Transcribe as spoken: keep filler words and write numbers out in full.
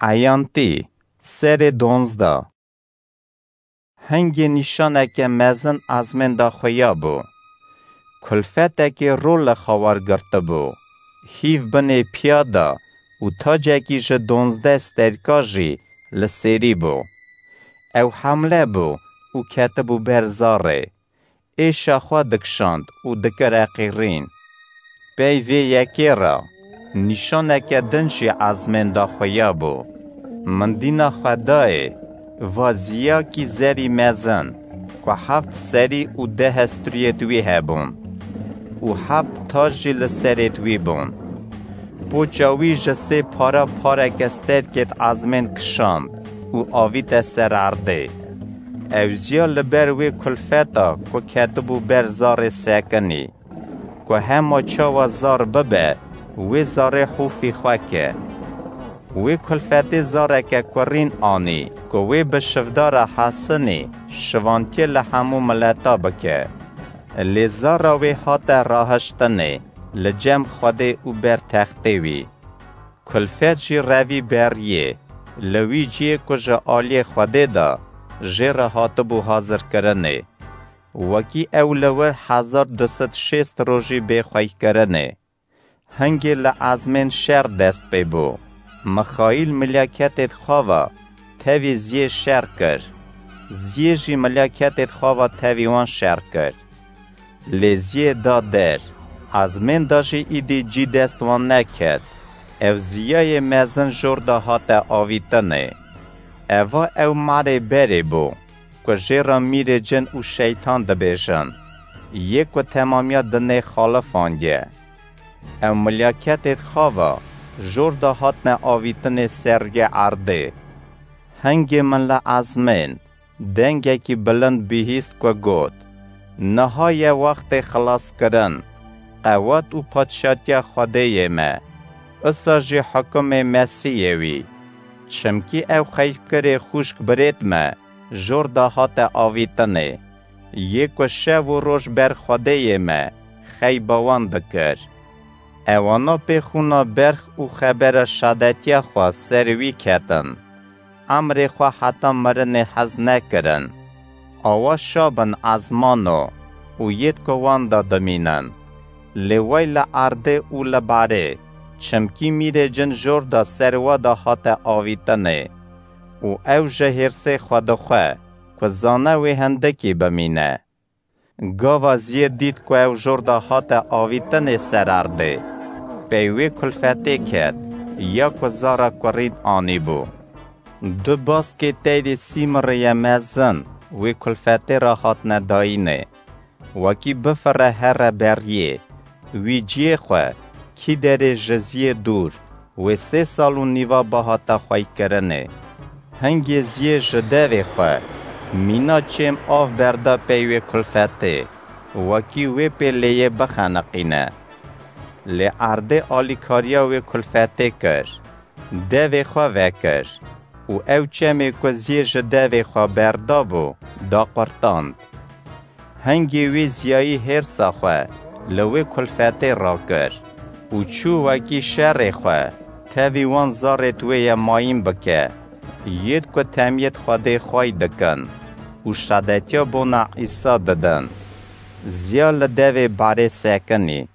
Eyantî, serê donzdeh. Hingê nîşaneke mezin ezmên da xuya bû. Kulfetekê ro li xwe wergirtibû. Hîv binê piya da û tacekî ji donzdeh sterka jî li sêrî bû. Ew hemle bû û ketibû ber zarê. Êşa xwe dikişand û dikire qîrîn. Pey vê yekê re nîşaneke din jî ezmên da xuya bû. Min dîna xwe dayê, va ziyakî zerî mezin, ku heft serî û deh strûyêd wî hebûn û heft tac jî li serêd wî bûn. Poça wî ji sê para pareke sterkêd ezmên kişand û avîte ser erdê. Ew ziya li ber wê kulfeta ku ketibû ber zarê sekinî, ku hema çawa zar bibe, wê zarê hûfî xwe ke. Wê kulfetê zareke kurîn anî, ku wê bi şivdara hesinî şivantiyê li hemû mileta bike. Lê zara wê hate rahiştinê li cem Xwedê û ber textê wî. Kulfet jî revî beriyê, li wî ciyê ku ji aliyê Xwedê de jê re hatibû hazirkirinê. Wekî ew li wir hezar du sed şêst rojî bê xweykirinê. Hingê li ezmên şer dest pê bû. Mixaîl milyaketêd xwe ve tevî ziyê şer kir. Ziyê jî milyaketêd xwe ve tevî wan şer kir. Lê ziyê da der. Ezmên da jî îdî cî dest wan neket. Ev ziyayê mezin jor da hate avîtinê. Eva ew marê berê bû, ku jê re mîrê cin û şeytan dibêjin, yê ku temamiya dinê xalifandiye. Ew milyaketêd xwe ve jor da hatine avîtinê ser rûyê erdê. Hingê min li ezmên dengekî bilind bihîst ku got, Niha ye wextê xilaskirin, qewet û padşatiya Xwedêyê me, usa jî hukumê Mesîhê wî. Çimkî ew xeyfkirê xûşk birêd me jor da hate avîtinê, yê ku şev û roj ber Xwedêyê me xeyba wan dikir. Ewana pê xûna berx û xebera şadetiya xwe ser wî ketin. Emrê xwe heta mirinê hez nekirin. Awa şa bin ezmano û yêd ku wan da dimînin. Lê wey li erdê û li barê, çimkî mîrê cin jor da ser we da hate avîtinê û ew ji hêrsê xwe dixwe ku zane wê hindikî bimîne. Gava ziyê dît ku ew jor da hate avîtinê ser erdê, pey wê kulfetê ket, ya ku zara kurîn anîbû. Du baskê teyrê sîmirê ye mezin wê kulfetê re hatine dayînê. Wekî bifire here beriyê, wî ciyê xwe, kî derê ji ziyê dûr, wê sê sal û nîva bihata xweykirinê. Hingê ziyê ji devê xwe, mîna çêm av berda pey wê kulfetê, wekî wê pê lêyê bixeniqîne. Lê erdê alîkariya wê kulfetê kir. Devê xwe vekir û ew çemê ku ziyê ji devê xwe berdabû, daqurtand. Hingê wê ziyayî hêrsa xwe li wê kulfetê rakir û çû wekî şerê xwe tevî wan zarêd wê ye mayîn bike, yêd ku temiyêd Xwedê xway dikin û şadetiya bona Îsa didin. Ziya li devê barê sekinî.